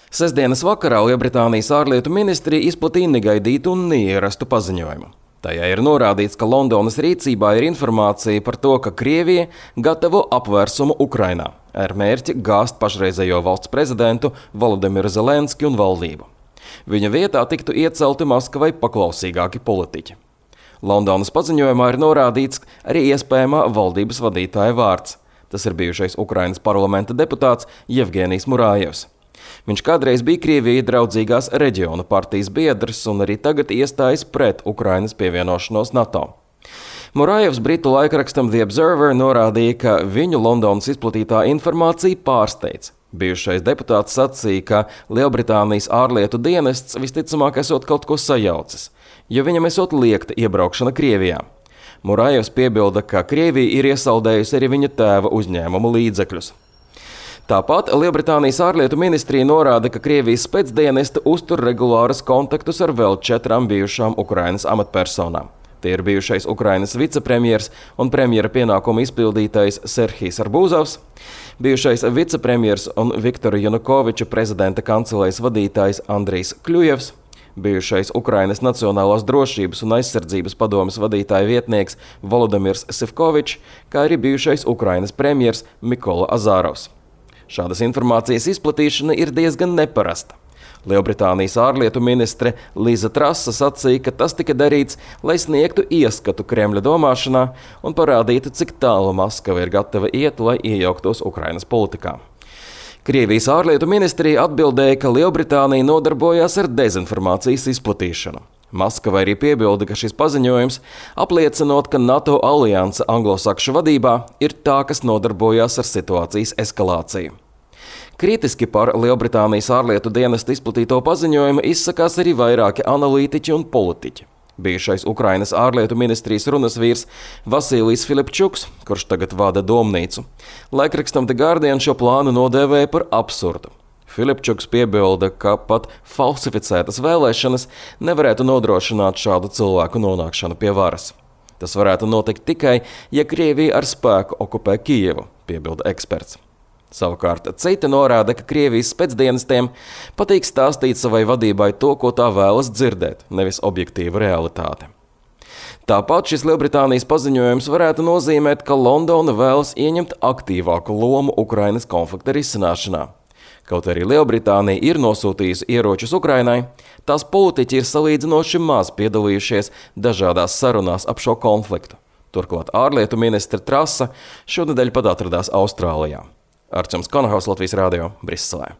Sestdienas vakarā Lielbritānijas ārlietu ministrija izplatīja negaidītu un neierastu paziņojumu. Tajā ir norādīts, ka Londonas rīcībā ir informācija par to, ka Krievija gatavo apvērsumu Ukrainā ar mērķi gāzt pašreizējo valsts prezidentu Volodimiru Zelenski un valdību. Viņa vietā tiktu iecelti Maskavai paklausīgāki politiķi. Londonas paziņojumā ir norādīts arī iespējamā valdības vadītāja vārds. Tas ir bijušais Ukrainas parlamenta deputāts Jevgenijs Murājevs. Viņš kādreiz bija Krievijai draudzīgās reģiona partijas biedrs un arī tagad iestājas pret Ukrainas pievienošanos NATO. Murājevs britu laikrakstam The Observer norādīja, ka viņu Londonas izplatītā informācija pārsteidz. Bijušais deputāts sacīja, ka Lielbritānijas ārlietu dienests visticamāk esot kaut ko sajaucis, jo viņam esot liegta iebraukšana Krievijā. Murājevs piebilda, ka Krievija ir iesaldējusi arī viņa tēva uzņēmumu līdzekļus. Tāpat Lielbritānijas ārlietu ministrija norāda, ka Krievijas spēcdienesti uztur regulārus kontaktus ar vēl 4 bijušām Ukrainas amatpersonām. Tie ir bijušais Ukrainas vicepremjers un premjera pienākumu izpildītājs Serhijs Arbūzovs, bijušais vicepremjers un Viktora Janukoviča prezidenta kancelējas vadītājs Andrijs Kļujevs, bijušais Ukrainas Nacionālās drošības un aizsardzības padomes vadītāja vietnieks Volodimirs Sivkovičs, kā arī bijušais Ukrainas premjers Mikola Azārovs. Šādas informācijas izplatīšana ir diezgan neparasta. Lielbritānijas ārlietu ministre Liza Trasa sacīja, ka tas tika darīts, lai sniegtu ieskatu Kremļa domāšanā un parādītu, cik tālu Maskava ir gatava iet, lai iejauktos Ukrainas politikā. Krievijas ārlietu ministrija atbildēja, ka Lielbritānija nodarbojās ar dezinformācijas izplatīšanu. Maskava arī piebilda, ka šis paziņojums apliecinot, ka NATO alianse anglosakšu vadībā ir tā, kas nodarbojās ar situācijas eskalāciju. Kritiski par Lielbritānijas ārlietu dienesta izplatīto paziņojumu izsakās arī vairāki analītiķi un politiķi. Bijušais Ukrainas ārlietu ministrijas runas vīrs Vasilijs Filipčuks, kurš tagad vada domnīcu, laikrakstam The Guardian šo plānu nodēvēja par absurdu. Filipčuks piebilda, ka pat falsificētas vēlēšanas nevarētu nodrošināt šādu cilvēku nonākšanu pie varas. Tas varētu notikt tikai, ja Krievija ar spēku okupē Kijevu, piebilda eksperts. Savukārt citi norāda, ka Krievijas spēcdienestiem patīk stāstīt savai vadībai to, ko tā vēlas dzirdēt, nevis objektīvu realitāti. Tāpat šis Lielbritānijas paziņojums varētu nozīmēt, ka Londona vēlas ieņemt aktīvāku lomu Ukrainas konflikta risināšanā. Kaut arī Lielbritānija ir nosūtījusi ieročus Ukrainai, tās politiķi ir salīdzinoši maz piedalījušies dažādās sarunās ap šo konfliktu. Turklāt ārlietu ministre Trasa šonedēļ pat atradās Austrālijā. Arčuns Konahaus, Latvijas radio, Briselē.